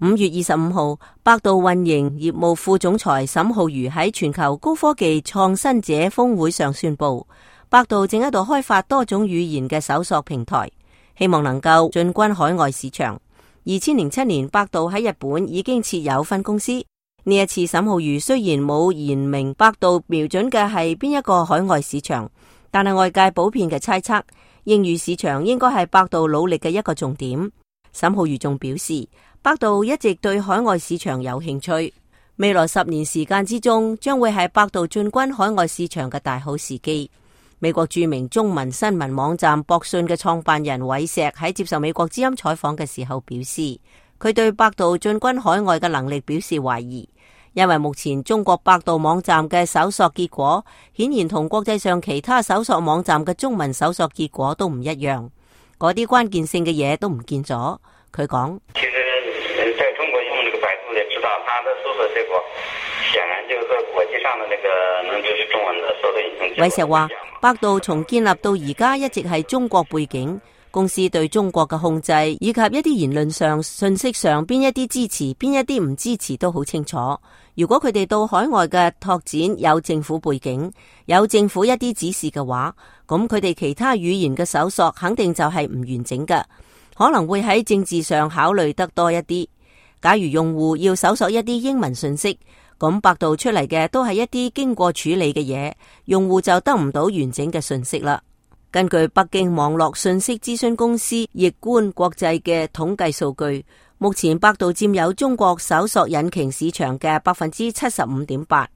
5月25號，百度運營業務副總裁沈浩瑜喺全球高科技創新者峰會上宣布，百度正喺度開發多種語言嘅搜索平台，希望能夠進軍海外市場。2007年，百度喺日本已經設有分公司。呢一次，沈浩瑜雖然冇言明百度瞄準嘅係邊一個海外市場，但係外界普遍嘅猜測，英語市場應該係百度努力嘅一個重點。沈浩瑜仲表示，百度一直對海外市場有興趣，未來10年時間之中，將會係百度進軍海外市場嘅大好時機。美國著名中文新聞網站博訊嘅創辦人韋石喺接受美國之音採訪嘅時候表示，佢對百度進軍海外嘅能力表示懷疑，因為目前中國百度網站嘅搜索結果顯然同國際上其他搜索網站嘅中文搜索結果都唔一樣，嗰啲關鍵性嘅嘢都唔見咗。佢講，其實在中國用這個百度也知道，它的搜索結果顯然就是和國際上的那個能支持中文的搜索引擎。韋石話，百度從建立到而家一直係中國背景，公司對中國嘅控制以及一啲言論上、信息上邊一啲支持，邊一啲唔支持都好清楚。如果佢哋到海外嘅拓展有政府背景，有政府一啲指示嘅話，咁佢哋其他語言嘅搜索肯定就係唔完整嘅，可能會喺政治上考慮得多一啲。假如用戶要搜索一啲英文信息，咁百度出嚟嘅都係一啲經過處理嘅嘢，用戶就得唔到完整嘅信息啦。根據北京網絡信息諮詢公司易觀國際嘅統計數據，目前百度佔有中國搜索引擎市場嘅 75.8%，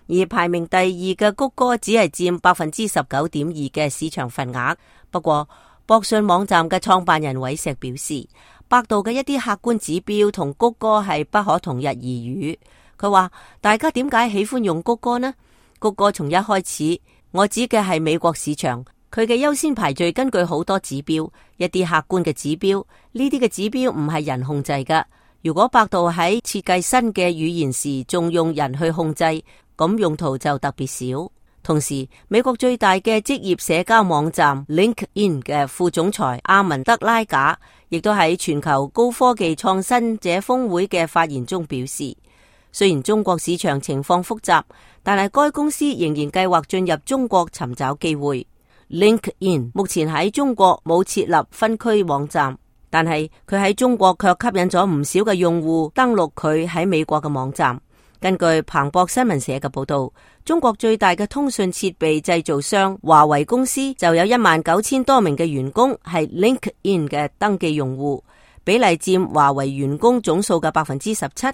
而排名第二嘅谷歌只係佔 19.2% 嘅市場份額。不過博訊網站嘅創辦人韋石表示，百度嘅一啲客觀指標同谷歌係不可同日而語。佢話，大家點解喜歡用谷歌呢？谷歌從一開始，我指嘅係美國市場，佢嘅優先排序根據好多指標，一啲客觀嘅指標，呢啲嘅指標唔係人控制㗎。如果百度喺設計新嘅語言時仲用人去控制，咁用途就特別少。同時，美國最大嘅職業社交網站 LinkedIn 嘅副總裁阿文德拉賈，亦都喺全球高科技創新者峰會嘅發言中表示，雖然中國市場情況複雜，但係該公司仍然計劃進入中國尋找機會。LinkedIn 目前喺中國冇設立分區網站，但係佢喺中國卻吸引咗唔少嘅用戶登錄佢喺美國嘅網站。根據彭博新聞社嘅報道，中國最大嘅通訊設備製造商華為公司就有19000多名嘅員工係 LinkedIn 嘅登記用戶，比例佔華為員工總數嘅 17%。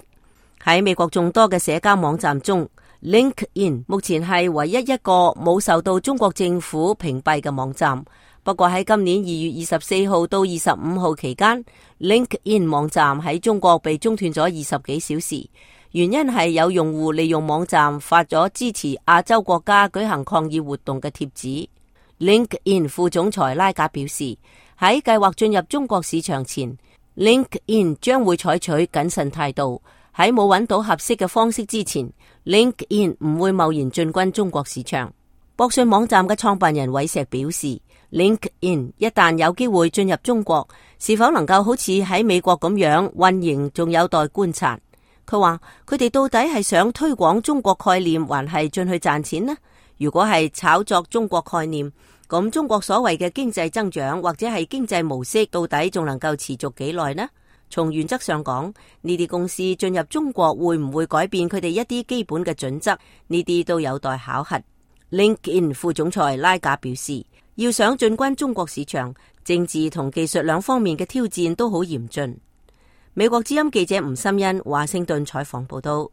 喺美國眾多嘅社交網站中， LinkedIn 目前係唯一一個冇受到中國政府屏蔽嘅網站。不過喺今年2月24號到25號期間， LinkedIn 網站喺中國被中斷咗20幾小時，原因係有用戶利用網站發咗支持亞洲國家舉行抗議活動嘅貼紙。LinkedIn 副總裁拉賈表示，喺計劃進入中國市場前， LinkedIn 將會採取謹慎態度，喺冇揾到合適嘅方式之前， LinkedIn 唔會貿然進軍中國市場。博訊網站嘅創辦人韋石表示， LinkedIn 一旦有機會進入中國，是否能夠好似喺美國咁樣運營，仲有待觀察。佢話，佢哋到底係想推廣中國概念，還係進去賺錢呢？如果係炒作中國概念，咁中國所謂嘅經濟增長或者係經濟模式到底仲能夠持續幾耐呢？從原則上講，呢啲公司進入中國會唔會改變佢哋一啲基本嘅準則？呢啲都有待考核。LinkedIn 副總裁拉賈表示，要想進軍中國市場，政治同技術兩方面嘅挑戰都好嚴峻。美國之音記者吳心欣華盛頓採訪報道。